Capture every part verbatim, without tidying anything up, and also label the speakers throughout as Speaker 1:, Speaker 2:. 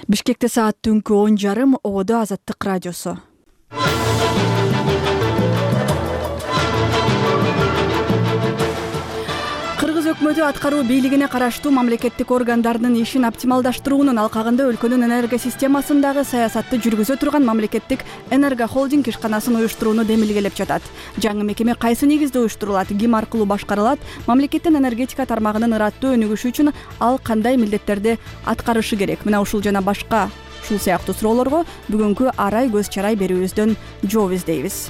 Speaker 1: Бишкекте саат түнкү он жарым, ободо Азаттык радиосу. Кыргыз өкмөтү аткаруу бийлигине караштуу мамлекеттик органдардын ишин оптималдаштыруунун алкагында өлкөнүн энерго системасындагы саясатты жүргүзө турган мамлекеттик энергохолдинг ишканасын уюштурууну демилгелеп жатат. Жаңы мекеме кайсы негизде уюштурулат, ким аркылуу башкарылат, мамлекеттин энергетика тармагынын ыраттуу өнүгүшү үчүн ал кандай милдеттерди аткарышы керек? Мына ушул жана башка ушул сыяктуу суроолорго бүгүнкү арай көз чарай берүүбүздөн жооп издейбиз.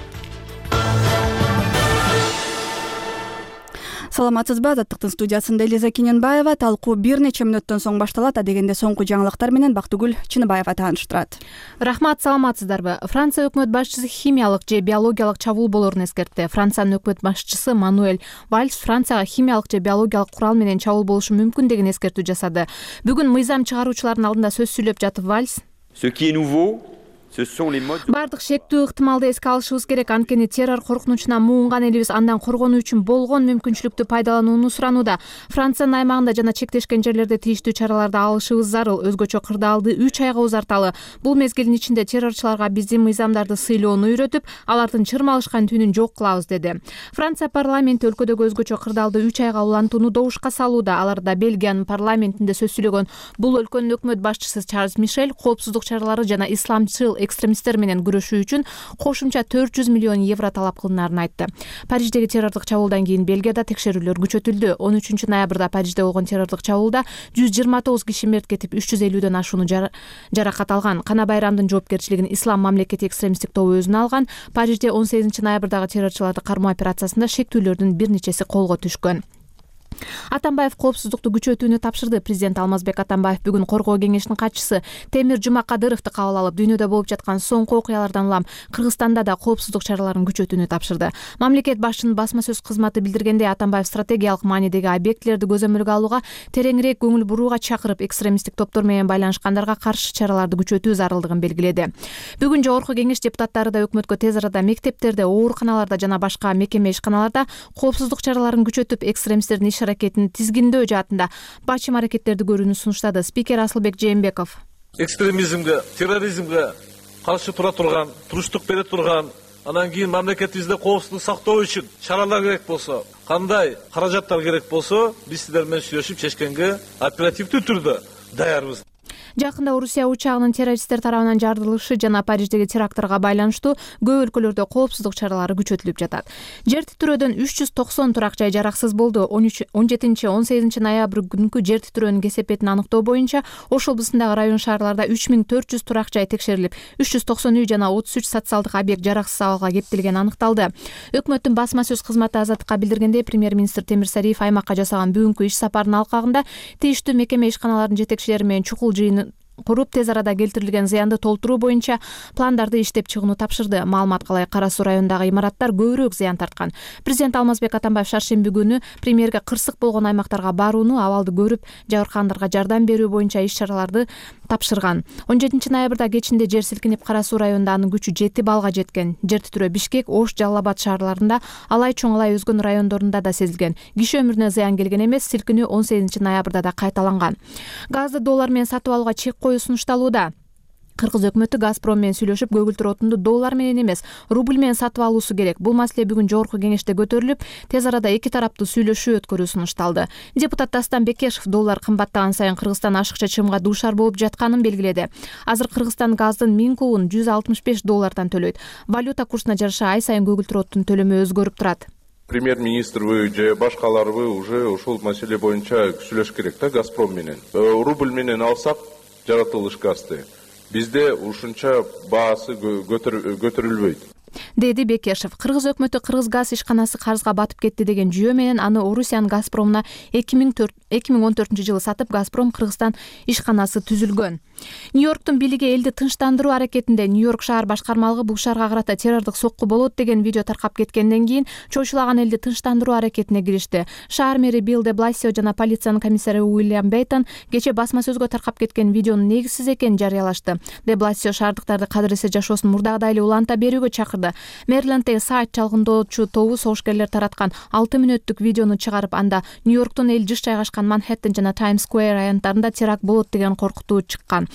Speaker 1: Саламатсызбы? Азаттыктын студиясында Элиза Кененбаева. Талкуу бир нече мүнөттөн соң башталат. Адегенде соңку жаңылыктар менен Бактыгүл Чыныбаева тааныштырат.
Speaker 2: Рахмат, саламатсыздарбы? Франция өкмөт башчысы химиялык же биологиялык чабуул болоорун эскертти. Франциянын өкмөт башчысы Мануэль Вальс Францияга химиялык же биологиялык курал менен чабуул болушу мүмкүн деген эскертүү жасады. Бүгүн мыйзам чыгаруучулардын алдында сөз сүйлөп жатып Вальс бардык шектүү ыктымалды эске алышыбыз керек, анткени террор коркунучуна муунган элибиз андан коргонуу үчүн болгон мүмкүнчүлүктү пайдаланууну суранууда. Франциянын аймагында жана чектешкен жерлерде тийиштүү чараларды алышыбыз зарыл. Өзгөчө кырдаалды үч айга узарталы. Бул мезгилдин ичинде террорчуларга биздин мыйзамдарды сыйлоону үйрөтүп, алардын чырмалышкан түнүн жок кылабыз, деди. Франция парламенти өлкөдөгү өзгөчө кырдаалды үч айга улантууну добушка салууда. Аларда Бельгиянын парламентинде сөз сүйлөгөн бул өлкөнүн өкмөт башчысы Чарльз Мишель коопсуздук чаралары жана исламчыл экстремисттер менен күрөшүү үчүн кошумча төрт жүз миллион евро талап кылынаарын айтты. Париждеги террордук чабуулдан кийин Бельгияда текшерүүлөр күчөтүлдү. он үчүнчү ноябрда Парижде болгон террордук чабуулда жүз жыйырма тогуз киши мерт кетип, үч жүз элүүдөн ашууну жаракат алган. Кана Байрамдын жоопкерчилигин Ислам мамлекети экстремисттик тобу өзүнө алган. Парижде он сегизинчи ноябрдагы террорчуларды кармоо операциясында шектүүлөрдүн бир нечеси колго түшкөн. Атамбаев коопсуздукту күчөтүүнү тапшырды. Президент Алмазбек Атамбаев бүгүн Коргоо кеңешинин катчысы Темир Жумакадыровду кабыл алып, дүйнөдө болуп жаткан соңку окуялардан улам Кыргызстанда да коопсуздук чараларын күчөтүүнү тапшырды. Мамлекет башчынын басма сөз кызматы билдиргендей, Атамбаев стратегиялык маанидеги объектилерди көзөмөлгө алууга, тереңирээк көңүл бурууга чакырып, экстремисттик топтор менен байланышкандарга каршы чараларды күчөтүү зарылдыгын белгиледи. Бүгүн жогорку кеңеш депутаттары да өкмөткө тез арада мектептерде, ооруканаларда жана башка мекеме ишканаларда коопсуздук чараларын күчөтүп, экстремисттердин иш аракетин тизгиндөө жаатында бачым аракеттерди көрүүнү сунуштады. Спикер Асылбек Жээнбеков
Speaker 3: экстремизмге, терроризмге каршы тура турган, туруштук бере турган, анан кийин мамлекетибизде коопсуздук сактоо үчүн чаралар керек болсо, кандай каражаттар керек болсо, биз сиздер менен сүйлөшүп чечкенге оперативдүү түрдө даярбыз.
Speaker 2: Жакында Орусия учагынын террористтер тарабынан жарылышы жана Париждеги терактырга байланыштуу көп өлкөлөрдө коопсуздук чаралары күчөтүлүп жатат. Жер титирөөдөн үч жүз токсон турак жай жараксыз болду. он жетинчи он сегизинчи ноябрь күнкү жер титирөөнүн кесепетин аныктоо боюнча Ош облусундагы район шаарларда үч миң төрт жүз турак жай текшерилип, үч жүз токсон үй жана отуз үч социалдык объект жараксыз абалга кептелгени аныкталды. Өкмөттүн басма сөз кызматы Азаттыкка билдиргендей, премьер-министр Темир Сариев аймакка жасаган бүгүнкү иш сапарынын алкагында тийиштүү мекеме ишканалардын жетекчилери менен чукул жыйын куруп, тез арада келтирилген зыянды толтуруу боюнча пландарды иштеп чыгууну тапшырды. Маалыматка ылайык, Кара Суу районундагы имараттар көбүрөөк зыян тарткан. Президент Алмазбек Атамбаев шаршемби күнү премьерге кырсык болгон аймактарга барууну, абалды көрүп, жабыркагандарга жардам берүү боюнча иш чараларды тапшырган. он жетинчи ноябрда кечинде жер силкинип, Кара Суу районунда анын күчү жети баллга жеткен. Жер титирөө Бишкек, Ош, Жалал Абад шаарларында, Алай, Чоң Алай өзгөн райондорунда да сезилген. Киши өмүрүнө зыян келген эмес, силкинүү он сегизинчи ноябрда да кайталанган. Газды доллар менен сатып алууга чек коюу сунушталууда. Кыргыз өкмөтү Газпром менен сүйлөшүп, көгүлтүр отунду доллар менен эмес, рубль менен сатып алуусу керек. Бул маселе бүгүн жогорку кеңеште көтөрүлүп, тез арада эки тараптуу сүйлөшүү өткөрүү сунушталды. Депутат Дастан Бекешев доллар кымбаттаган сайын Кыргызстан ашыкча чыгымга дуушар болуп жатканын белгиледи. Азыр Кыргызстан газдын миң кубун жүз алтымыш беш доллардан төлөйт. Валюта курсуна жараша ай сайын көгүлтүр оттун төлөмү өзгөрүп турат.
Speaker 4: Премьер-министрбы же башкаларбы уже ушул маселе боюнча сүйлөш керек да Газпром менен. Рубль менен алсак жаратылыш газды, бизде ушунча баасы көтөрүлбөйт,
Speaker 2: деди Бекешев. Кыргыз өкмөтү Кыргыз газ ишканасы карызга батып кетти деген жүйө менен аны Орусиянын Газпромуна эки миң он төртүнчү жылы сатып, Газпром Кыргызстан ишканасы түзүлгөн. Нью-Йорктун бийлиги элди тынчтандыруу аракетинде. Нью-Йорк шаар башкармалыгы бул шаарга карата террордук сокку болот деген видео таркап кеткенден кийин чочулаган элди тынчтандыруу аракетине киришти. Шаар мэри Билл де Бласио жана полициянын комиссары Уильям Бейтон кече басма сөзгө таркап кеткен видеонун негизсиз экенин жарыялашты. Де Бласио шаардыктарды кадыр эсе жашоосун мурдагыдай эле уланта берүүгө чакырды. Мэриленддеги сайт чалгындоочу тобу согушкерлер тараткан алты мүнөттүк видеону чыгарып, анда Нью-Йорктун эл жыш жайгашкан Манхэттен жана Таймс Сквер аянттарында теракт болот деген коркутуу чыккан.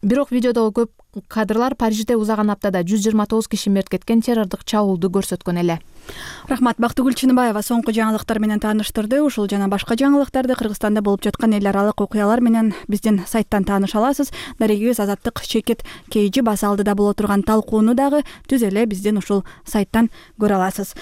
Speaker 2: Бирок видеодогу көп кадрлар Парижде узаган аптада жүз жыйырма тогуз киши мерт кеткен террордук чабуулду көрсөткөн эле.
Speaker 1: Рахмат. Бактыгүл Чыныбаева соңку жаңылыктар менен тааныштырды. Ушул жана башка жаңылыктарды Кыргызстанда болуп жаткан эл аралык окуялар менен биздин сайттан тааныша аласыз. Дарегибиз Азаттык Чекит Кейжи баса алдыда боло турган талкууну дагы түз эле биздин ушул сайттан көрө аласыз.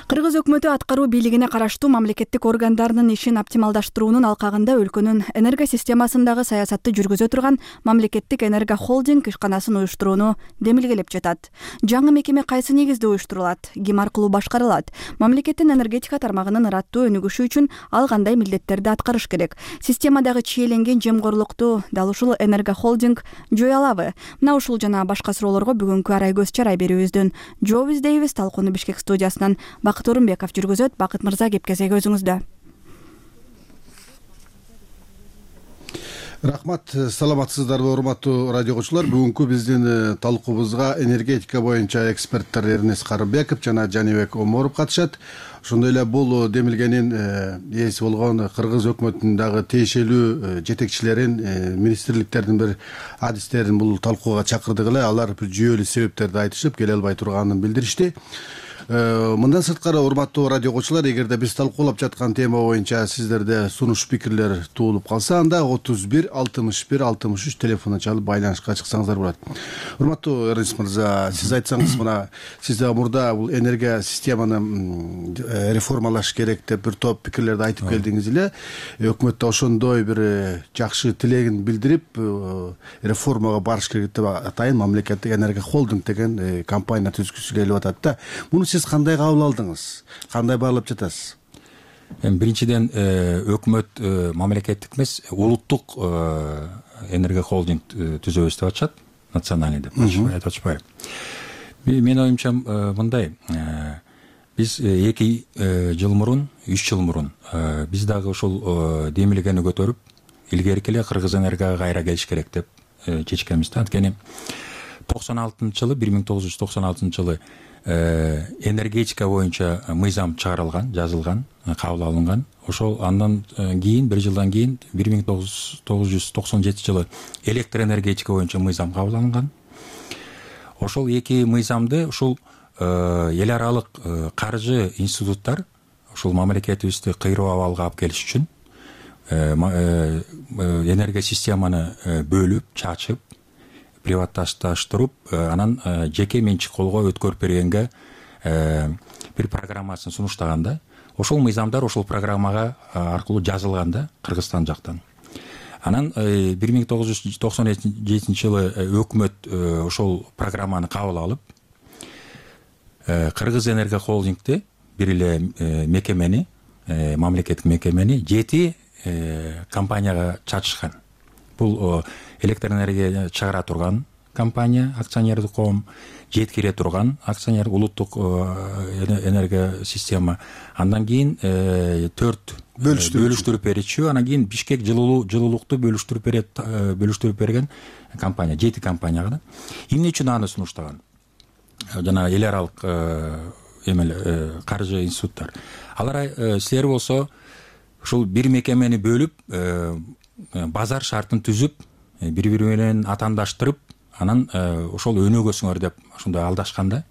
Speaker 1: Кыргыз өкмөтү аткаруу бийлигине караштуу мамлекеттик органдарынын ишин оптималдаштыруунун алкагында өлкөнүн энерго системасындагы саясатты жүргүзө турган мамлекеттик энерго холдинг ишканасын уюштурууну демилгелеп жатат. Жаңы мекеме кайсы негизде уюштурулат, ким аркылуу башкарылат, мамлекеттин энергетика тармагынын ыраттуу өнүгүшү үчүн ал кандай милдеттерди аткарыш керек, системадагы чиеленген жемкорлукту дал ушул энерго холдинг жое алабы? Мына ушул жана башка суроолорго бүгүнкү арай көз чарай берүүбүздүн жооп издейбиз. Талкууну Бишкек студиясынан Бакыт Орунбеков жүргүзөт. Бакыт мырза, кеп кезеги өзүңүздө.
Speaker 5: Рахмат. Саламатсыздарбы, урматтуу радиогочулар? Бүгүнкү биздин талкуубузга энергетика боюнча эксперттер Эрнес Карымбеков жана Жанибек Оморов катышат. Ошондой эле бул демилгенин ээси болгон Кыргыз өкмөтүнүн дагы тиешелүү жетекчилерин, министрликтердин бир адистерин бул талкууга чакырдык эле. Алар бир жүйөлүү себептерди айтышып, келе албай турганын билдиришти. Мындан сырткары, урматтуу радиогочулар, эгерде биз талкуулап жаткан тема боюнча сиздерде сунуш пикирлер туулуп калса, анда отуз бир алтымыш бир алтымыш үч телефону чалып байланышка чыксаңыздар болот. Урматтуу Эрнес мырза, сиз айтсаңыз, мына сиз да мурда бул энергия системаны реформалаш керек деп бир топ пикирлерди айтып келдиңиз эле. Өкмөт да ошондой бир жакшы тилегин билдирип, реформага барыш керек деп атайын мамлекеттик энергия холдинг деген компания түзгүсү келип атат да. Муну сиз кандай кабыл алдыңыз? Кандай баалап жатасыз?
Speaker 6: Биринчиден, өкмөт мамлекеттик эмес, улуттук энергия холдинг түзөбүз деп атышат, национальный деп айтып атышпайбы? Менин оюмча мындай, биз эки жыл мурун, үч жыл мурун биз дагы ушул демилгени көтөрүп, илгерки эле Кыргыз энергияга кайра келиш керек деп чечкенбиз да. Анткени токсон алтынчы жылы, бир миң тогуз жүз токсон алтынчы жылы энергетика боюнча мыйзам чыгарылган, жазылган, кабыл алынган. Ошол андан кийин, бир жылдан кийин, бир миң тогуз жүз токсон жетинчи жылы электр энергетика боюнча мыйзам кабыл алынган. Ошол эки мыйзамды ушул эл аралык каржы институттар ушул мамлекетибизди кыйроо абалга алып келиш үчүн энергия системаны бөлүп, чачып, приватташтырып, анан жеке менчик колго өткөрүп бергенге бир программасын сунуштаганда, ошол мыйзамдар ошол программага аркылуу жазылганда Кыргызстан жактан. Анан бир миң тогуз жүз токсон жетинчи жылы өкмөт ошол программаны кабыл алып, Кыргыз энергия холдингди, бир эле мекемени, мамлекеттик мекемени жети компанияга чачышкан. Бул электр энергия чыгара турган компания, акционердик коом, жеткире турган акционер, улуттук энергия система. Андан кийин төрт бөлүштүрүп берүүчү, анан кийин Бишкек жылуулукту бөлүштүрүп берет, бөлүштүрүп берген компания, жети компанияга да. Эмне үчүн аны сунуштаган? Жана эл аралык эмелер, каржы институттар. Алар силер болсо ушул бир мекемени бөлүп, базар шартын түзүп, бири-бири менен атандаштырып, анан ошол өнүгөсүңөр деп ошондой алдашканда,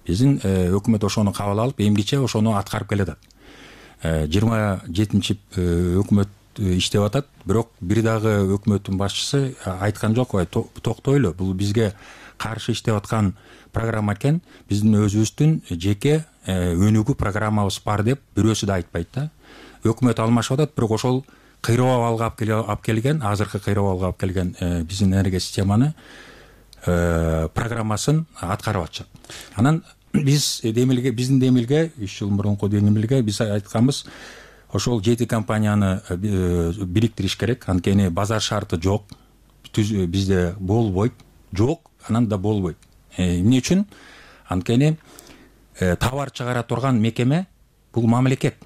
Speaker 6: биздин өкмөт ошону кабыл алып, эмгиче ошону аткарып келатат. жыйырма жетинчи өкмөт иштеп атат, бирок бир дагы өкмөттүн башчысы айткан жок, токтойлу, бул бизге каршы иштеп аткан программа экен, биздин өзүбүздүн жеке өнүгүү программабыз бар деп бирөөсү да айтпайт да. Өкмөт алмашып атат, бирок ошол кыйроо абалга алып келген, азыркы кыйроо абалга алып келген биздин энергия системаны программасын аткарып атышат. Анан биз демилге, биздин демилге, үч жыл мурунку демилге биз айтканбыз, ошол жети компанияны бириктириш керек, анткени базар шарты жок, бизде болбойт, жок, анан да болбойт. Эмне үчүн? Анткени товар чыгара турган мекеме бул мамлекет.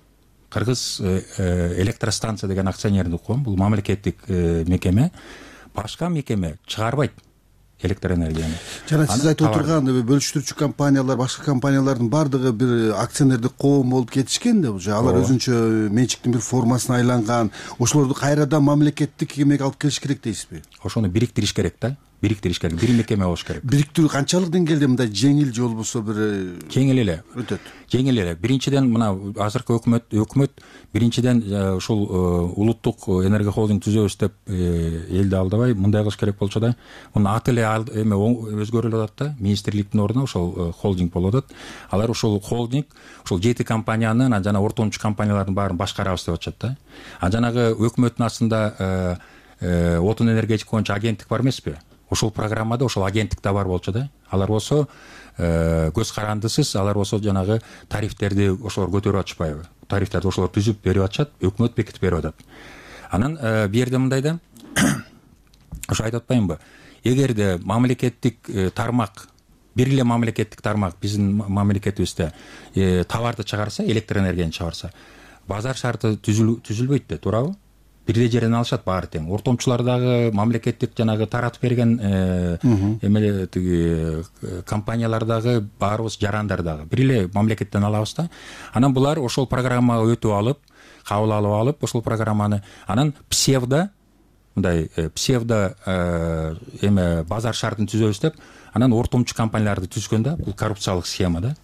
Speaker 6: Кыргыз электростанция деген акционердик коом, бул мамлекеттик мекеме, башка мекеме чыгарбайт. электр энергияны.
Speaker 5: жана сиз айтып отурган бөлүштүрүүчү компаниялар, башка компаниялардын баардыгы бир акционердик коом болуп кетишкен да уже. Алар өзүнчө менчиктин бир формасына айланган. Ошолорду кайрадан мамлекеттик эмеге алып келиш керек дейсизби?
Speaker 6: Ошону бириктириш керек да. Бириктириш керек. Бир мекеме болуш керек.
Speaker 5: Бириктирүү канчалык деңгээлде мындай жеңил же болбосо бир
Speaker 6: жеңил эле
Speaker 5: өтөт?
Speaker 6: Жеңил эле. Биринчиден мына азыркы өкмөт өкмөт биринчиден ушул улуттук энергия холдинг түзөбүз деп элди алдабай мындай кылыш керек болчу да. Муну аты эле эме өзгөрүлүп атат да. Министрликтин ордуна ошол холдинг болуп атат. Алар ушул холдинг ушул жети компанияны жана ортомчу компаниялардын баарын башкарабыз деп атышат да. А жанагы өкмөттүн астында отун энергетика боюнча агенттик бар эмеспи? Ошол программада ошол агенттик да бар болчу да. Алар болсо көз карандысыз, алар болсо жанагы тарифтерди ошолор көтөрүп атышпайбы? Тарифтерди ошолор түзүп берип атышат, өкмөт бекитип берип атат. Анан бу жерде мындай да, ошо айтып атпаймынбы? Эгерде мамлекеттик тармак, бир эле мамлекеттик тармак биздин мамлекетибизде товарды чыгарса, электр энергияны чыгарса, базар шарты түзүлбөйт да, туурабы? Бир эле жерден алышат баары тең. Ортомчулар дагы мамлекеттик жанагы таратып берген эмеле тиги компаниялар дагы баарыбыз жарандар дагы бир эле мамлекеттен алабыз да. Анан булар ошол программага өтүп алып, кабыл алып алып, ошол программаны анан псевдо мындай псевдо эме базар шартын түзөбүз деп, анан ортомчу компанияларды түзгөн да. Бул коррупциялык схема да.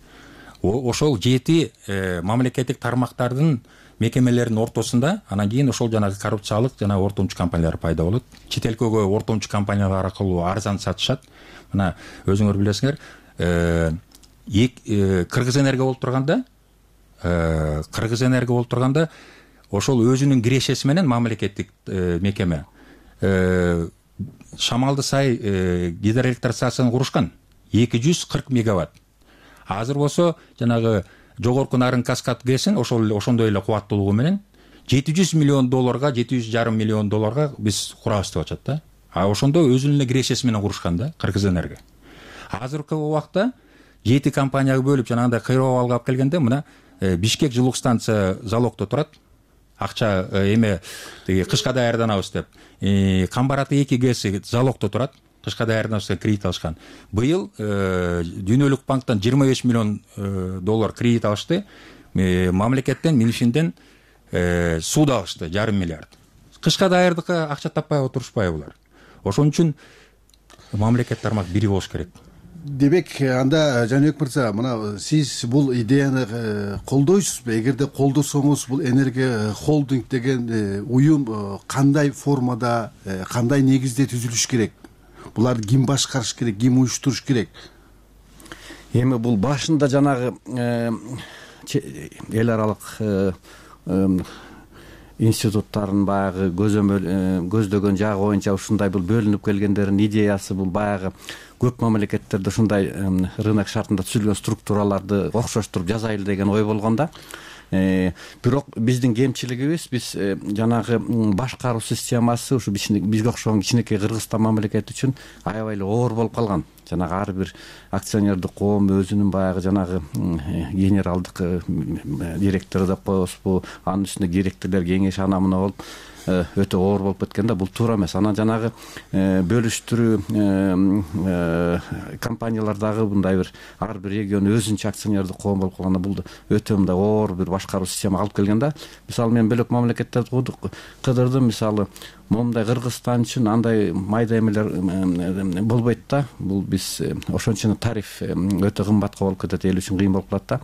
Speaker 6: Ошол жети мамлекеттик тармактардын мекемелердин ортосунда анан кийин ошол жанагы коррупциялык жана ортомчу компаниялар пайда болот. Чет элкөгө ортомчу компаниялар аркылуу арзан сатышат. Мына өзүңөр билесиңер, Кыргыз энергия болуп турганда, Кыргыз энергия болуп турганда ошол өзүнүн кирешеси менен мамлекеттик мекеме Шамалды сай гидроэлектростацияны курушкан эки жүз кырк мегаватт. Азыр болсо жанагы жогорку нарын каскад кесин ошол ошондой эле кубаттуулугу менен жети жүз миллион долларга, жети жүз жарым миллион долларга биз курабыз деп атышат да. А ошондо өзүнүн эле кирешеси менен курушкан да Кыргыз энергия. Азыркы убакта жети компанияга бөлүп жанагындай кыйроо абалга алып келгенде мына Бишкек жылук станция залогдо турат. Акча эме тиги кышка даярданабыз деп. Камбараты эки гэси залогдо турат. Кышка даярданабыз деп кредит алышкан. Быйыл Дүйнөлүк банктан жыйырма беш миллион доллар кредит алышты. Мамлекеттен, Минфинден суу да алышты жарым миллиард. Кышка даярдыкка акча таппай отурушпайбы булар? Ошон үчүн мамлекет тармак бири болуш керек.
Speaker 5: Демек, анда Жаныбек мырза, мына сиз бул идеяны колдойсузбу? Эгерде колдосоңуз, бул энергия холдинг деген уюм кандай формада, кандай негизде түзүлүш керек? Буларды ким башкарыш керек, ким уюштуруш керек?
Speaker 7: Эми бул башында жанагы эл аралык институттардын баягы көздөгөн жагы боюнча ушундай бул бөлүнүп келгендердин идеясы бул баягы көп мамлекеттерде ушундай рынок шартында түзүлгөн структураларды окшоштуруп жасайлы деген ой болгон да. Бирок биздин кемчилигибиз биз жанагы башкаруу системасы ушу бизге окшогон кичинекей Кыргызстан мамлекети үчүн аябай эле оор болуп калган. Жанагы ар бир акционердик коом өзүнүн баягы жанагы генералдык директору деп коебузбу, анын үстүнө директорлор кеңеши ана мына болуп өтө оор болуп кеткен да. Бул туура эмес. Анан жанагы бөлүштүрүү компаниялардагы мындай бир ар бир регион өзүнчө акционердик коом болуп калганда бул өтө мындай оор бир башкаруу системага алып келген да. Мисалы мен бөлөк мамлекеттерди кыдырдым. Мисалы момундай Кыргызстан үчүн андай майда эмелер болбойт да. Бул биз ошон үчүн тариф өтө кымбатка болуп кетет, эл үчүн кыйын болуп калат да.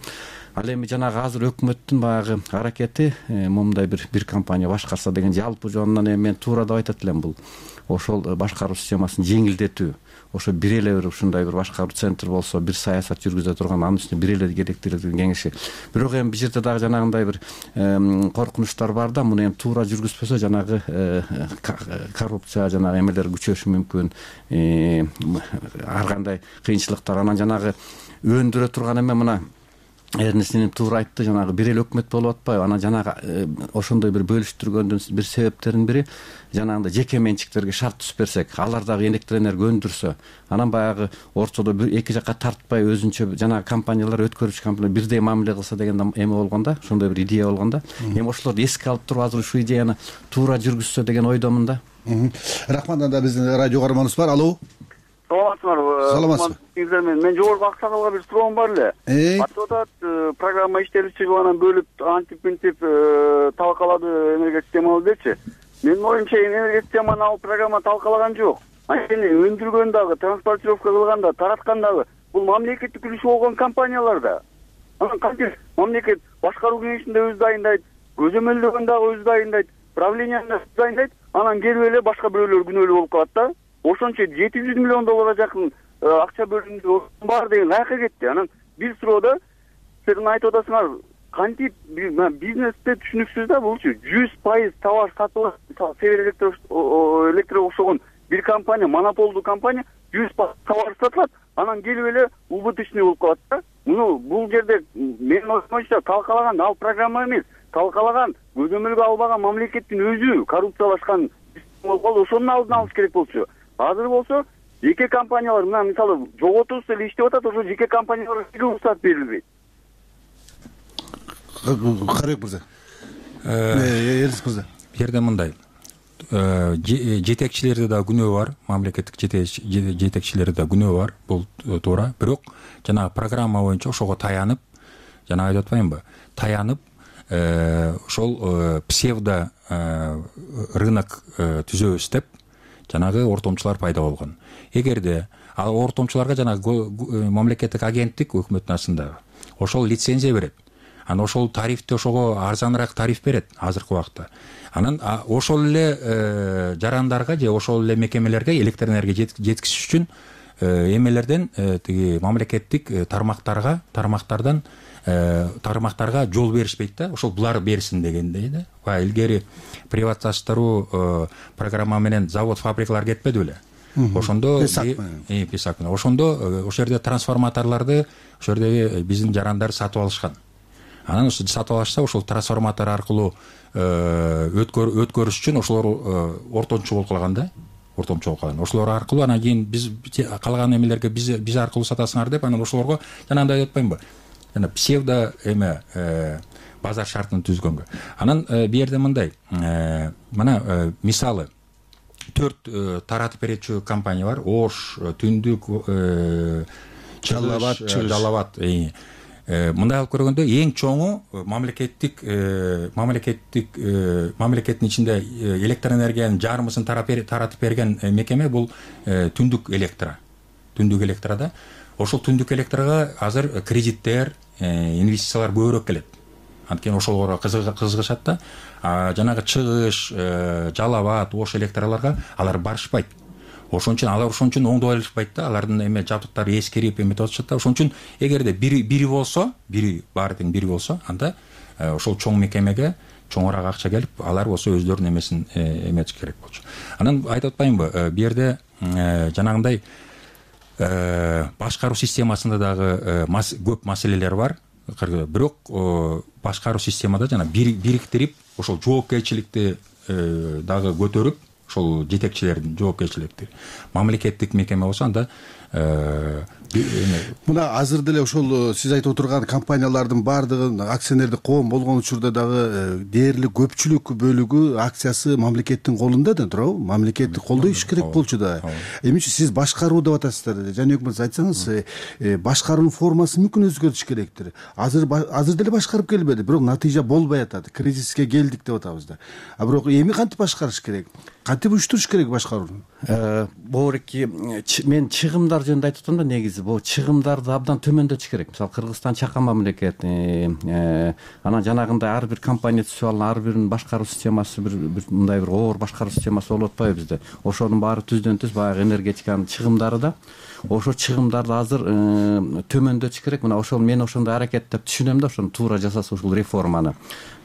Speaker 7: Ал эми жанагы азыр өкмөттүн баягы аракети момундай бир бир компания башкарса деген жалпы жонунан эми мен туура деп айтат элем. Бул ошол башкаруу системасын жеңилдетүү, ошо бир эле бир ушундай бир башкаруу центр болсо, бир саясат жүргүзө турган, анын үстүнө бир эле керектелген кеңеши. Бирок эми бул жерде дагы жанагындай бир коркунучтар бар да. Муну эми туура жүргүзбөсө жанагы коррупция жанагы эмелер күчөшү мүмкүн, ар кандай кыйынчылыктар. Анан жанагы өндүрө турган эме мына Эрнестинин туура айтты, жанагы бир эле өкмөт болуп атпайбы? Анан жанагы ошондой бир бөлүштүргөндүн бир себептеринин бири жанагындай жеке менчиктерге шарт түзүп берсек, алар дагы электр энергия өндүрсө, анан баягы ортодо эки жакка тартпай өзүнчө жанагы компаниялар, өткөрүүчү компаниялар бирдей мамиле кылса деген эме болгон да, ошондой бир идея болгон да. Эми ошолорду эске алып туруп азыр ушул идеяны туура жүргүзсө деген ойдомун да.
Speaker 5: Рахмат. Анда биздин радио каарманыбыз бар. Алло.
Speaker 8: саламатсыңарбы?
Speaker 5: Саламатсызбы.
Speaker 8: Мен жогорку аксакалга бир суроом бар эле. Айтып атат, программа иштелип чыгып анан бөлүп антип мынтип талкалады энергия системабыздычы. Менин оюмча энергия системаны ал программа талкалаган жок. Анткени өндүргөн дагы, транспортировка кылган да, тараткан дагы бул мамлекеттик үлүшү болгон компаниялар да. Анан кантип мамлекет башкаруу кеңешинде өзү дайындайт, көзөмөлдөгөн дагы өзү дайындайт, правленияны өзү дайындайт, анан келип эле башка бирөөлөр күнөөлүү болуп калат да. Ошончо жети жүз миллион долларга жакын акча бөлүндү, бар деген каяка кетти. Анан бир суроодо силер айтып атасыңар, кантип бизнесте түшүнүксүз да булчу. жүз пайыз товар сатылат, Север Электро окшогон бир компания, монополдуу компания жүз пайыз товар сатылат, анан келип эле убыточный болуп калат да. Муну бул жерде менин оюмча талкалаган ал программа эмес, талкалаган көзөмөлгө албаган мамлекеттин өзү коррупциялашкан болуп калды. Ошонун алдын алыш керек болчу. Азыр болсо жеке компаниялар мына мисалы жоготубуз эле иштеп атат, ошо жеке компанияларга рұқсат берилбейт.
Speaker 5: Карек мырза. Эрис мырза.
Speaker 6: Бу жерде мындай. Жетекчилерде да күнөө бар, мамлекеттик жетекчилерде да күнөө бар, бул туура. Бирок жанагы программа боюнча ошого таянып, жана айтып атпаймынбы? Таянып, ошол псевдо рынок түзөбүз деп жанагы ортомчулар пайда болгон. Эгерде ал ортомчуларга жанагы мамлекеттик агенттик өкмөттүн астындагы ошол лицензия берет, анан ошол тарифти ошого арзаныраак тариф берет азыркы убакта. Анан ошол эле жарандарга же ошол эле мекемелерге электр энергия жеткизиш үчүн эмелерден тиги мамлекеттик тармактарга тармактардан тармактарга жол беришпейт да, ошол булар берсин дегендей да. Баягы илгери приватизациялоо программа менен завод, фабрикалар кетпеди беле? Ошондо Песак менен ошондо ошол жерде трансформаторлорду ошол жердеги биздин жарандар сатып алышкан. Анан сатып алышса ошол трансформатор аркылуу өткөрүш үчүн ошолор ортомчу болуп калган да. Ортомчу болуп калган. Ошолор аркылуу анан кийин биз калган эмелерге биз биз аркылуу сатасыңар деп анан ошолорго жанагындай деп атпаймынбы? Жана псевдо эме базар шартын түзгөнгө. Анан бу жерде мындай, мына мисалы төрт таратып берүүчү компания бар. Ош, Түндүк, Жалалабад, Жалалабад. Мындай алып көргөндө эң чоңу мамлекеттик мамлекеттик мамлекеттин ичинде электр энергиянын жарымысын таратып берген мекеме бул Түндүк Электро. Түндүк Электрода ошол Түндүк Электрога азыр кредиттер, инвестициялар көбүрөөк келет. Анткени ошолорго кызыгышат да. Жанагы Чыгыш, Жалалабад, Ош электролорго алар барышпайт. Ошон үчүн алар ошон үчүн оңдой алышпайт да. Алардын эме жабдыктары эскирип эметип атышат да. Ошон үчүн эгерде бири бири болсо, бири баары тең бири болсо, анда ошол чоң мекемеге чоңураак акча келип, алар болсо өздөрүнүн эмесин эметиш керек болчу. Анан айтып атпаймынбы? Бу жерде жанагындай башкаруу системасында дагы көп маселелер бар. Бирок башкаруу системада жана бириктирип, ошол жоопкерчиликти дагы көтөрүп, ошол жетекчилердин жоопкерчиликти мамлекеттик мекеме болсо анда
Speaker 5: мына азыр деле ошол сиз айтып отурган компаниялардын баардыгын акционердик коом болгон учурда дагы дээрлик көпчүлүк бөлүгү акциясы мамлекеттин колунда да туурабы? Мамлекеттик колдой иш керек болчу да. Эми сиз башкаруу деп атасыздар. Жаныбек мырза айтсаңыз, башкаруунун формасы мүмкүн өзгөртүш керектир. Азыр азыр деле башкарып келбеди, бирок натыйжа болбой атат. Кризиске келдик деп атабыз да. А бирок эми кантип башкарыш керек? Кантип уюштуруш керек башкарууну?
Speaker 7: Боорки мен чыгымдар жөнүндө айтып атам да, негизи бул чыгымдарды абдан төмөндөтүш керек. Мисалы Кыргызстан чакан мамлекет, анан жанагындай ар бир компания түзүп алган, ар биринин башкаруу системасы бир мындай бир оор башкаруу системасы болуп атпайбы бизде. Ошонун баары түздөн түз баягы энергетиканын чыгымдары да. Ошо чыгымдарды азыр төмөндөтүш керек. Мына ошол мен ошондой аракеттеп түшүнөм да, ошону туура жасаса ушул реформаны.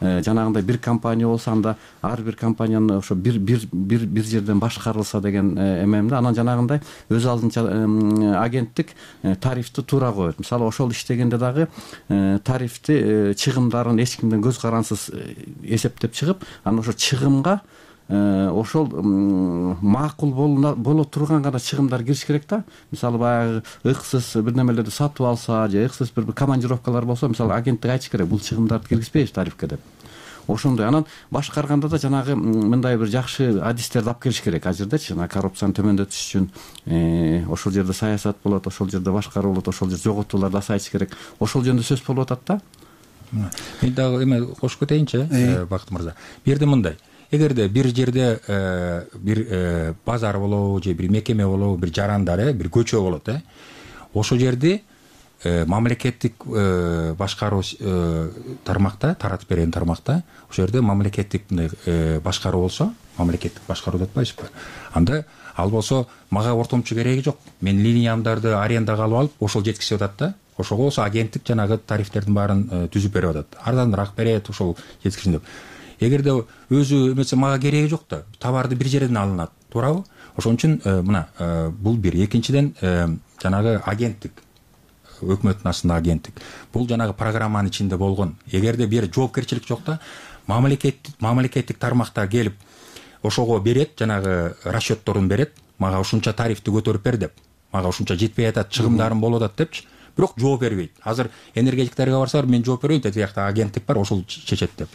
Speaker 7: Жанагындай бир компания болсо анда ар бир компаниянын ошо бир бир бир бир жерден башкарылса деген эмемде. Анан жанагындай өз алдынча агенттик тарифти туура коет. Мисалы ошол иштегенде дагы тарифти чыгымдарын эч кимден көз карансыз эсептеп чыгып, анан ошо чыгымга ошол макул боло турган гана чыгымдар кириш керек да. Мисалы баягы ыксыз бир немелерди сатып алса же ыксыз бир командировкалар болсо, мисалы агенттик айтыш керек, бул чыгымдарды киргизбейбиз тарифке деп. ошондой анан башкарганда да жанагы мындай бир жакшы адистерди алып келиш керек ал жердечи жанагы коррупцияны төмөндөтүш үчүн ошол жерде саясат болот, ошол жерде башкаруу болот, ошол жерде жоготууларды азайтыш керек, ошол жөнүндө сөз болуп атат да.
Speaker 6: Мен дагы эме кошуп кетейинчи Бакыт мырза. Бул жерде мындай, эгерде бир жерде бир базар болобу же бир мекеме болобу, бир жарандар, бир көчө болот, э ошол жерде мамлекеттик башкаруу тармакта, таратып берген тармакта, ошол жерде мамлекеттик мындай башкаруу болсо, мамлекеттик башкаруу деп атпайсызбы? Анда ал болсо мага ортомчу кереги жок. Мен линиямдарды арендага алып алып, ошол жеткизип атат да. Ошого болсо агенттик жанагы тарифтердин баарын түзүп берип атат. Арзаныраак берет, ошол жеткизин деп. Эгерде өзү эмесе мага кереги жок да, товарды бир жерден алынат, туурабы? Ошон үчүн мына бул бир. Экинчиден жанагы агенттик, өкмөттүн астында агенттик. Бул жанагы программанын ичинде болгон. Эгерде бир жоопкерчилик жок да, мамлекеттик мамлекеттик тармакта келип ошого берет, жанагы расчетторун берет, мага ушунча тарифти көтөрүп бер деп, мага ушунча жетпей атат, чыгымдарым болуп атат депчи. Бирок жооп бербейт. Азыр энергетиктерге барсалар, мен жооп бербейм, тиги жакта агенттик бар, ошол чечет деп.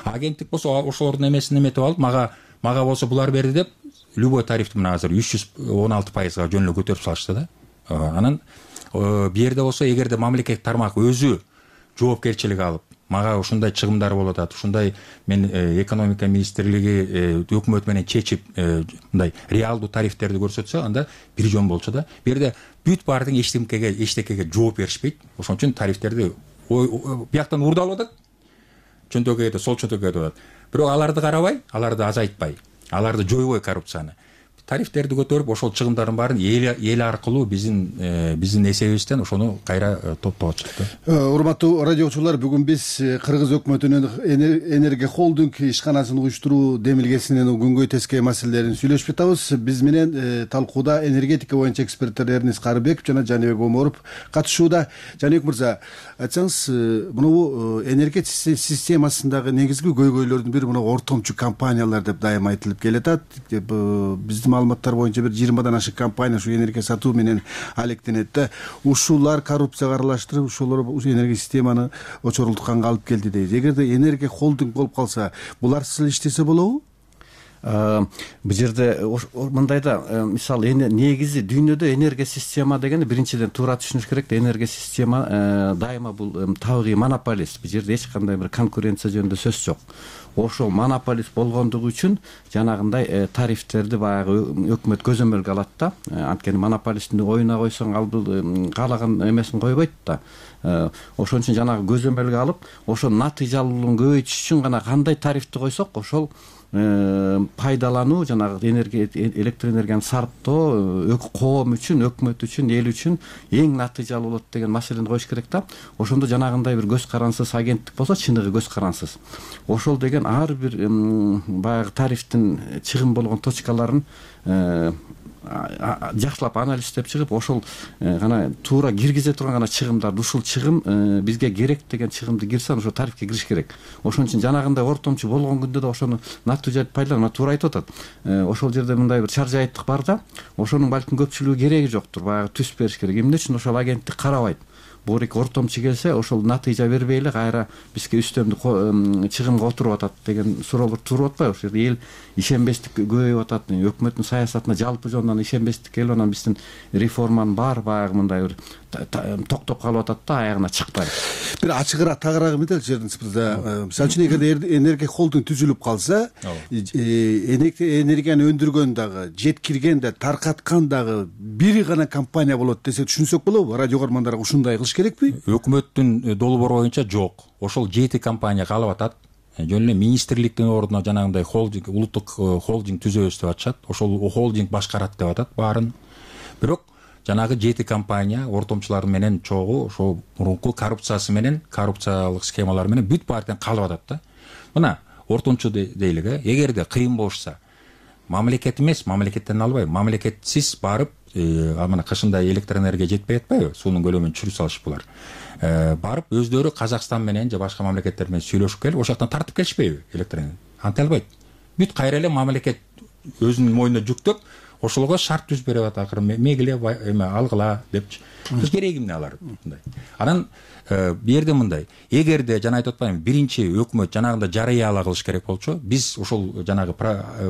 Speaker 6: Агенттик болсо ошолордун эмесин эметип алып, мага мага болсо булар берди деп, любой тарифти мына азыр үч жүз он алты пайызга жөн эле көтөрүп салышты да. Анан бу жерде болсо, эгерде мамлекеттик тармак өзү жоопкерчилик алып, мага ушундай чыгымдар болуп атат, ушундай мен экономика министрлиги өкмөт менен чечип мындай реалдуу тарифтерди көрсөтсө, анда бир жөн болчу да. Бу жерде бүт баардык эчтекеге эчтекеге жооп беришпейт. Ошон үчүн тарифтерди бияктан урдалып атат, чөнтөгө кетип, сол чөнтөгө кетип атат. Бирок аларды карабай, аларды азайтпай, аларды жойбой коррупцияны, тарифтерди көтөрүп, ошол чыгымдардын баарын эл аркылуу биздин биздин эсебибизден ошону кайра топтоп атышат да.
Speaker 5: Урматтуу радио угуучулар, бүгүн биз Кыргыз өкмөтүнүн Энерго холдинг ишканасын уюштуруу демилгесинин күнгөй тескей маселелерин сүйлөшүп атабыз. Биз менен талкууда энергетика боюнча эксперттер Эрнис Карыбеков жана Жаныбек Оморов катышууда. Жаныбек мырза, айтсаңыз, мынабу энергетика системасындагы негизги көйгөйлөрдүн бири мына ортомчу компаниялар деп дайыма айтылып келатат. Биздин маалыматтар боюнча бир жыйырмадан ашык компания ушу энергия сатуу менен алектенет да. Ушулар коррупцияга аралаштырып, ушулар энергия системаны очорлутканга алып келди дейт. Эгерде энергия холдинг болуп калса, булар сыл иштесе болобу?
Speaker 7: Бул жерде мындай да, мисалы негизи дүйнөдө энергия система дегенди биринчиден туура түшүнүш керек да. Энергия система дайыма бул табигый монополист. Бул жерде эч кандай бир конкуренция жөнүндө сөз жок. Ошол монополист болгондугу үчүн жанагындай тарифтерди баягы өкмөт көзөмөлгө алат да. Анткени монополисттин оюна койсоң, ал бул каалаган эмесин койбойт да. Ошон үчүн жанагы көзөмөлгө алып, ошол натыйжалуулугун көбөйтүш үчүн гана кандай тарифти койсок, ошол пайдалануу, жанагы энергия электр энергияны сарптоо коом үчүн, өкмөт үчүн, эл үчүн эң натыйжалуу болот деген маселени коюш керек да. Ошондо жанагындай бир көз карансыз агенттик болсо, чыныгы көз карансыз. Ошол деген ар бир баягы тарифтин чыгым болгон точкаларын жакшылап анализдеп чыгып, ошол гана туура киргизе турган гана чыгымдарды, ушул чыгым бизге керек деген чыгымды кирсе, ошо тарифке кириш керек. Ошон үчүн жанагындай ортомчу болгон күндө да ошону натыйжалуу пайдалануу туура айтып атат. Ошол жерде мындай бир чар жайыттык бар да, ошонун балким көпчүлүгү кереги жоктур, баягы түз бериш керек. Эмне үчүн ошол агенттик карабайт? Буурик ортомчу келсе, ошол натыйжа бербей эле кайра бизге үстөмдүк чыгымга отуруп атат деген суроолор туруп атпайбы? Ошол жерде эл ишенбестик көбөйүп атат, өкмөттүн саясатына жалпы жонунан ишенбестик келип, анан биздин реформанын баары баягы мындай бир токтоп калып атат да, аягына чыкпай.
Speaker 5: Бир ачыгыраак, тагыраак метелчи Эрнис мырза. Мисалы үчүн эгерде энергия холдинг түзүлүп калса, энергияны өндүргөн дагы, жеткирген да, таркаткан дагы бир гана компания болот десе түшүнсөк болобу? Радио көрөрмандарга ушундай кылыш керекпи?
Speaker 6: Өкмөттүн долбоору боюнча жок. Ошол жети компания калып атат. Жөн эле министрликтин ордуна жанагындай холдинг, улуттук холдинг түзөбүз деп атышат. Ошол холдинг башкарат деп атат баарын. Бирок жанагы жети компания ортомчулар менен чогуу ошол мурунку коррупциясы менен, коррупциялык схемалар менен бүт баардыгын калып атат да. Мына ортомчу дейлик, эгерде кыйын болушса, мамлекет эмес, мамлекеттен албайбы, мамлекетсиз барып, мына кышында электр энергия жетпей атпайбы, суунун көлөмүн түшүрүп салышып булар. Барып өздөрү Казакстан менен же башка мамлекеттер менен сүйлөшүп келип, ошол жактан тартып келишпейби электр энергия? Анте албайт. Бүт кайра эле мамлекет өзүнүн мойнуна жүктөп, ошолго шарт түзүп берип атат, акыры мегиле эме алгыла депчи. Биз кереги эмне алар мындай. Анан бу жерде мындай, эгерде жана айтып атпаймынбы, биринчи өкмөт жанагындай жарыя ала кылыш керек болчу, биз ошол жанагы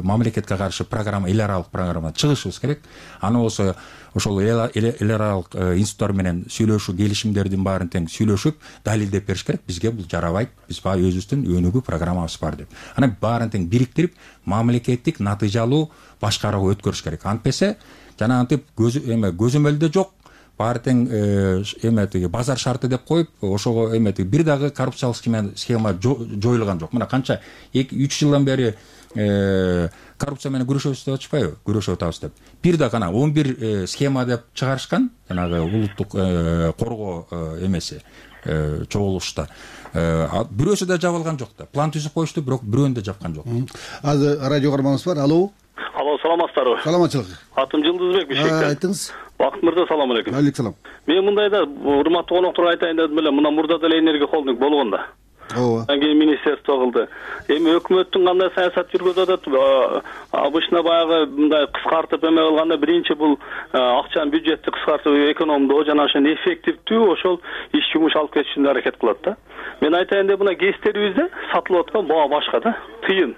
Speaker 6: мамлекетке каршы программа, эл аралык программадан чыгышыбыз керек. Аны болсо ошол эл аралык институттар менен сүйлөшүү, келишимдердин баарын тең сүйлөшүп, далилдеп бериш керек. Бизге бул жарабайт, биз баягы өзүбүздүн өнүгүү программабыз бар деп. Анан баарын тең бириктирип, мамлекеттик натыйжалуу башкарууга өткөрүш керек. Антпесе жанагынтип эме көзөмөлдө жок, баары тең эме тиги базар шарты деп коюп, ошого эме тиги бир дагы коррупциялык схема жоюлган жок. Мына канча үч жылдан бери коррупция менен күрөшөбүз деп атышпайбы? Күрөшүп атабыз деп. Бир да гана он бир схема деп чыгарышкан, жанагы улуттук коргоо эмеси чогулушта. Бирөөсү да жабылган жок да. План түзүп коюшту, бирок бирөөнү да жапкан жок.
Speaker 5: Азыр радио каарманыбыз бар. Алло.
Speaker 9: Алло, саламатсыздарбы?
Speaker 5: Саламатчылык.
Speaker 9: Атым Жылдызбек Бишкектен.
Speaker 5: Айтыңыз.
Speaker 9: Бакыт мырза, салам алейкум.
Speaker 5: Алейкум салам.
Speaker 9: Мен мындайда урматтуу конокторго айтайын дедим эле, мына мурда деле энергия холдинг болгондо.
Speaker 5: Ооба.
Speaker 9: Анан кийин министерство кылды. Эми өкмөттүн кандай саясат жүргүзүп атат? Обычно баягы мындай кыскартып эме кылганда биринчи бул акчаны, бюджетти кыскартып экономдоо жана ошону эффективдүү ошол иш жумуш алып кетиш үчүн аракет кылат да. Мен айтайын деп, мына гестерибизде сатылып аткан баа башка да, тыйын.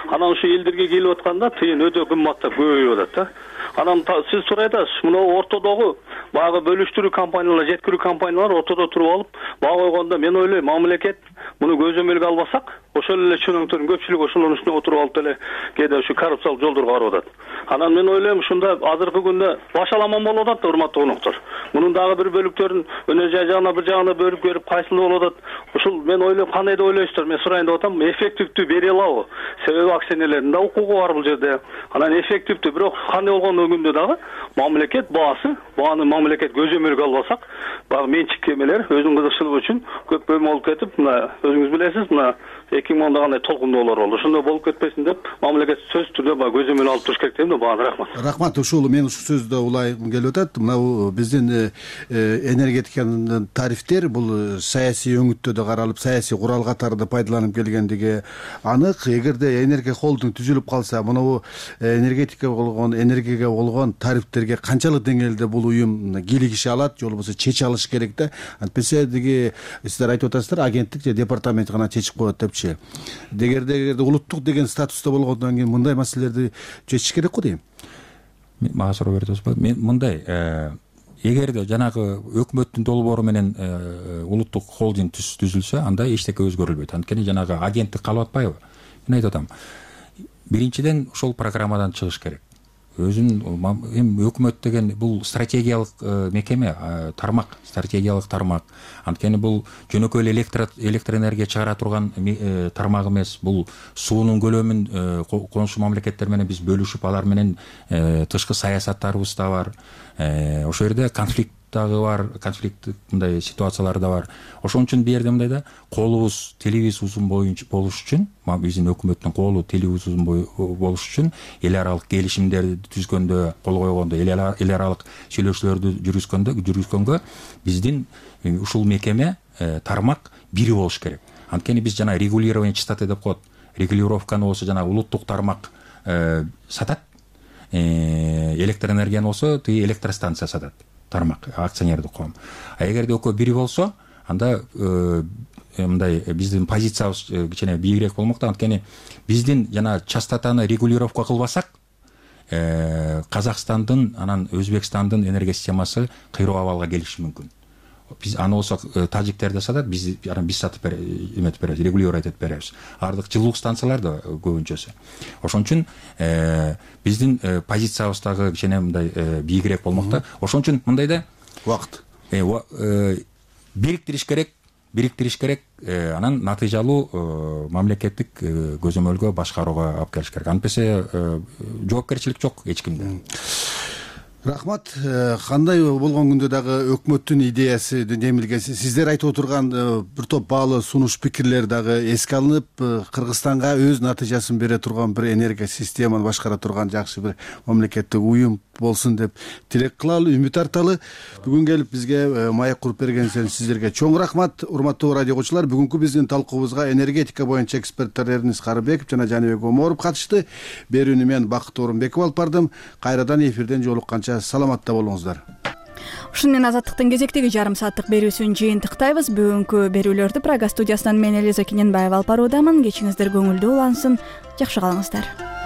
Speaker 9: Анан ушу элдерге келип атканда тыйын өтө кымбаттап көбөйүп атат да. Анан сиз сурай атасыз, мына ортодогу баягы бөлүштүрүү компаниялар, жеткирүү компаниялар ортодо туруп алып баа койгондо, мен ойлойм, мамлекет муну көзөмөлгө албасак, ошол эле чөнөктөрдүн көпчүлүгү ошолордун үстүнө отуруп алып деле кээде ушу коррупциялык жолдорго барып атат. Анан мен ойлойм, ушунда азыркы күндө башаламан болуп атат да, урматтуу коноктор. Мунун дагы бир бөлүктөрүн өнөр жай жагына бир жагына бөлүп берип, кайсыл болуп атат. Ушул мен ойлойм, кандай деп ойлойсуздар? Мен сурайын деп атам, эффективдүү бере алабы? Себеби акционерлердин да укугу бар бул жерде. Анан эффективдүү, бирок кандай болгон күндө дагы мамлекет баасы, бааны мамлекет көзөмөлгө албасак, баягы менчик эмелер өзүнүн кызыкчылыгы үчүн көп бөлмө болуп кетип, мына өзүңүз билесиз, мына эки миң онда кандай толкундоолор болду. Ошондой болуп кетпесин деп, мамлекет сөзсүз түрдө баягы көзөмөл алып туруш керек дейм да. Бааны рахмат. Рахмат.
Speaker 5: Ушул мен ушул сөздө улайгым келип атат. Мына биздин энергетиканын тарифтер бул саясий өңүттөдө каралып, саясий курал катары пайдаланып келгендиги анык. Эгерде энергия холдинг түзүлүп калса, мына энергетика болгон, энергияга болгон тарифтерге канчалык деңгээлде бул уюм кийлигише алат, же болбосо чече алыш керек да. Антпесе деги сиздер айтып атасыздар, агенттик же департамент гана чечип коет депчи. Дегерде эгерде улуттук деген статуста болгондон кийин мындай маселелерди чечиш керек го дейм.
Speaker 6: Мага суроо берип атасызбы? Мен мындай, эгерде жанагы өкмөттүн долбоору менен улуттук холдинг түзүлсө, анда эчтеке өзгөрүлбөйт. Анткени жанагы агенттик калып атпайбы? Мен айтып атам, биринчиден ошол программадан чыгыш керек. Өзүн эми өкмөт деген бул стратегиялык мекеме, тармак, стратегиялык тармак. Анткени бул жөнөкөй эле электр энергия чыгара турган тармак эмес. Бул суунун көлөмүн коңшу мамлекеттер менен биз бөлүшүп, алар менен тышкы саясаттарыбыз да бар. Ошол жерде конфликт дагы бар, конфликттик мындай ситуациялар да бар. Ошон үчүн бу жерде мындайда колубуз, телибиз узун боюнча болуш үчүн, биздин өкмөттүн колу, телибиз узун болуш үчүн эл аралык келишимдерди түзгөндө, кол койгондо, эл аралык сүйлөшүүлөрдү жүргүзгөндө, жүргүзгөнгө биздин ушул мекеме, тармак бири болуш керек. Анткени биз жана регулирование частоты деп коет. Регулировканы болсо жана улуттук тармак сатат, электр энергияны болсо тиги электростанция сатат. Тармак, акционердик коом. А эгерде экөө бири болсо, анда мындай биздин позициябыз кичине бийигирээк болмок да. Анткени биздин жана частотаны регулировка кылбасак, Казакстандын, анан Өзбекстандын энергия системасы кыйроо абалга келиши мүмкүн. Биз аны болсо тажиктер да сатат, биз анан биз сатып эметип беребиз, регулировать этип беребиз. Ардык жылуулук станциялар да көбүнчөсү. Ошон үчүн биздин позициябыз дагы кичине мындай бийигирээк болмок да. Ошон үчүн мындайда
Speaker 5: убакыт
Speaker 6: бириктириш керек, бириктириш керек, анан натыйжалуу мамлекеттик көзөмөлгө башкарууга алып келиш керек. Антпесе жоопкерчилик жок эч кимде.
Speaker 5: Рахмат. Кандай болгон күндө дагы өкмөттүн идеясы демилген, сиздер айтып отурган бир топ баалуу сунуш пикирлер дагы эске алынып, Кыргызстанга өз натыйжасын бере турган бир энергия системаны башкара турган жакшы бир мамлекеттик уюм болсун деп тилек кылалы, үмүт арталы. Бүгүн келип бизге маек куруп бергениңизден сиздерге чоң рахмат. Урматтуу радио окуучулар, бүгүнкү биздин талкуубузга энергетика боюнча эксперттер Эрнис Карыбеков жана Жаныбек Оморов катышты. Берүүнү мен Бакыт Орунбеков алып бардым. Кайрадан эфирден жолукканча саламатта болуңуздар.
Speaker 1: Ушуну менен Азаттыктын кезектеги жарым сааттык берүүсүн жыйынтыктайбыз. Бүгүнкү берүүлөрдү Прага студиясынан мен Элиза Кененбаева алып баруудамын. Кечиңиздер көңүлдүү улансын. Жакшы калыңыздар.